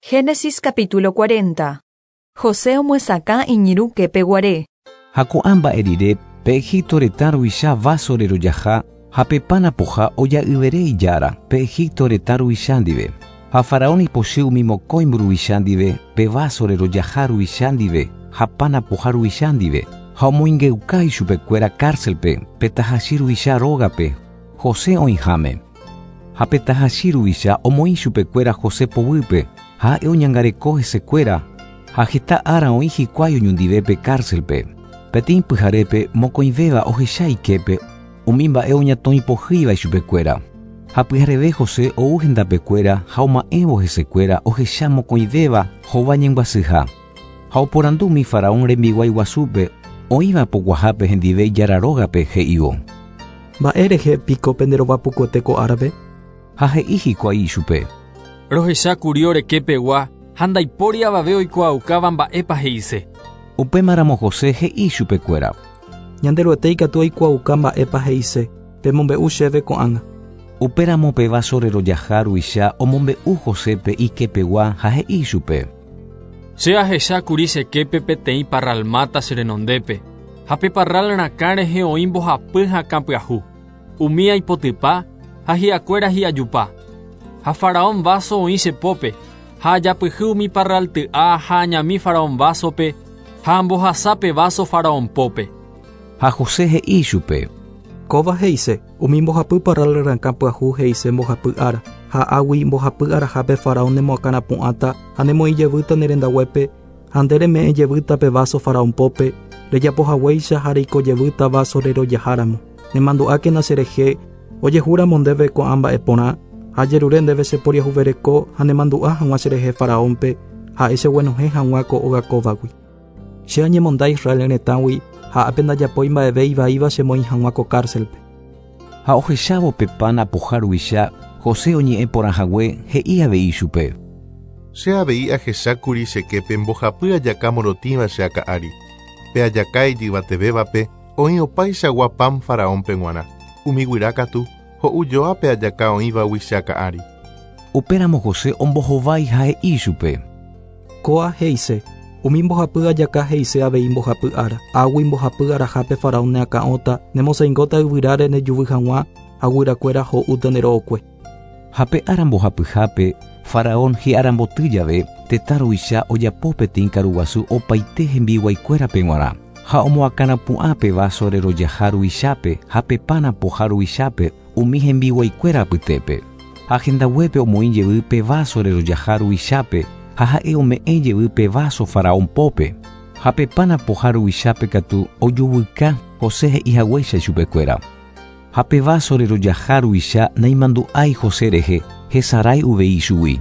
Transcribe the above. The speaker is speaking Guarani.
Génesis capítulo 40. José omyesakã iñirũ képe guare. Ha ko'ã mba'e rire, pe Egipto retã ruvicha váso rerojaha ha pe pan apoha oja'yvere ijára, pe Egipto retã ruvicha ndive. Ha faraón ipochy umi mokõi mburuvicha ndive, pe váso rerojaha ruvicha ndive ha pan apoha ruvicha ndive, ha omoingeuka ichupekuéra cárcelpe, pe tahachi ruvicha rógape, José oĩháme. Ha pe tahachi ruvicha omoĩ chupekuéra José poguýpe, ha ha'e oñangareko hesekuéra, ha heta ára oĩ hikuái oñondive pe cárcelpe. Peteĩ pyharépe mokõivéva ohecha iképe umi mba'e oñatõi pohýiva ichupekuéra. Ha pyhareve José ou hendapekuéra ha oma'ẽvo hesekuéra ohecha mokõivéva hova ñembyasyha. Ha oporandu umi faraón rembiguái guasúpe oĩva poguahápe hendive ijára rógape he'ívo. Mba'e rehe piko penderova pukuete ko árape? Ha he'i hikuái ichupe. Rohecha kuri ore kepegua ha ndaipóri avave oikuaaukáva mba'épa he'ise. Upémaramo José he'i ichupekuéra. Ñanderuete ikatu oikuaauka mba'épa he'ise, pemombe'u chéve ko'ág̃a. Upéramo pe váso rerojaha ruvicha omombe'u Josépe ikepegua ha he'i ichupe. Che ahecha kuri che képe peteĩ parral máta che renondépe, ha pe parral rakã rehe oĩ mbohapy hakã pyahu. Umi aipotypa ha hi'akuéra hi'ajupa. Ha faraón váso oĩ che pópe, ha ajapyhy umi parral ty'a ha añami faraón vásope, ha ambohasa pe váso faraón pópe. Ha José he'i ichupe. Kóva he'ise, umi mbohapy parral rakã pyahu he'ise mbohapy ára, ha águi mbohapy arahápe faraón nemoakãrapu'ãta ha nemoĩ jevýta ne rendaguépe, ha nde reme'ẽ jevýta pe váso faraón pópe, rejapohaguéicha ha reiko jevýta váso rerojaháramo. Nemandu'ákena cherehe, ojehúramo ndéve ko'ã mba'e porã, ha ajerure ndéve che poriahuvereko ha nemandu'a hag̃ua cherehe faraónpe, ha'e cheguenohẽ hag̃ua ko óga kóvagui. Che añemonda Israel retãgui ha ápe ndajapói mba'eve ivaíva chemoĩ hag̃ua ko cárcelpe. Ha ohechávo pe pan apoha ruvicha, José oñe'ẽ porã hague, he'i avei ichupe. Che avei ahechákuri che képe mbohapy ajaka morotĩva che akã ári. Pe ajaka ijyvatevévape oĩ opaichagua pan faraónpe g̃uarã. Umi guyra katu ho'ujoa pe ajaka oĩvagui che akã ári. Upéramo José ombohovái ha he'i ichupe. Kóa he'ise, umi mbohapy ajaka he'ise avei mbohapy ára. Águi mbohapy arahápe faraón neakã'óta, nemosãingóta yvyráre nejuvy hag̃ua ha guyrakuéra ho'úta nde ro'okue. Ha pe ára mbohapyhápe, faraón hi'aramboty jave, tetã ruvicha ojapo peteĩ karuguasu opaite hembiguaikuérape g̃uarã, ha omoakãrapu'ã pe váso rerojaha ruvichápe ha pe pan apoha ruvichápe umi hembiguaikuéra apytépe. Ha hendaguépe omoĩ jevy pe váso rerojaha ruvichápe ha ha'e ome'ẽ jevy pe váso faraón pópe. Ha pe pan apoha ruvichápe katu ojuvyka José he'ihaguéicha ichupekuéra. Ha pe váso rerojaha ruvicha naimandu'ái José rehe, hesarái uvei ichugui.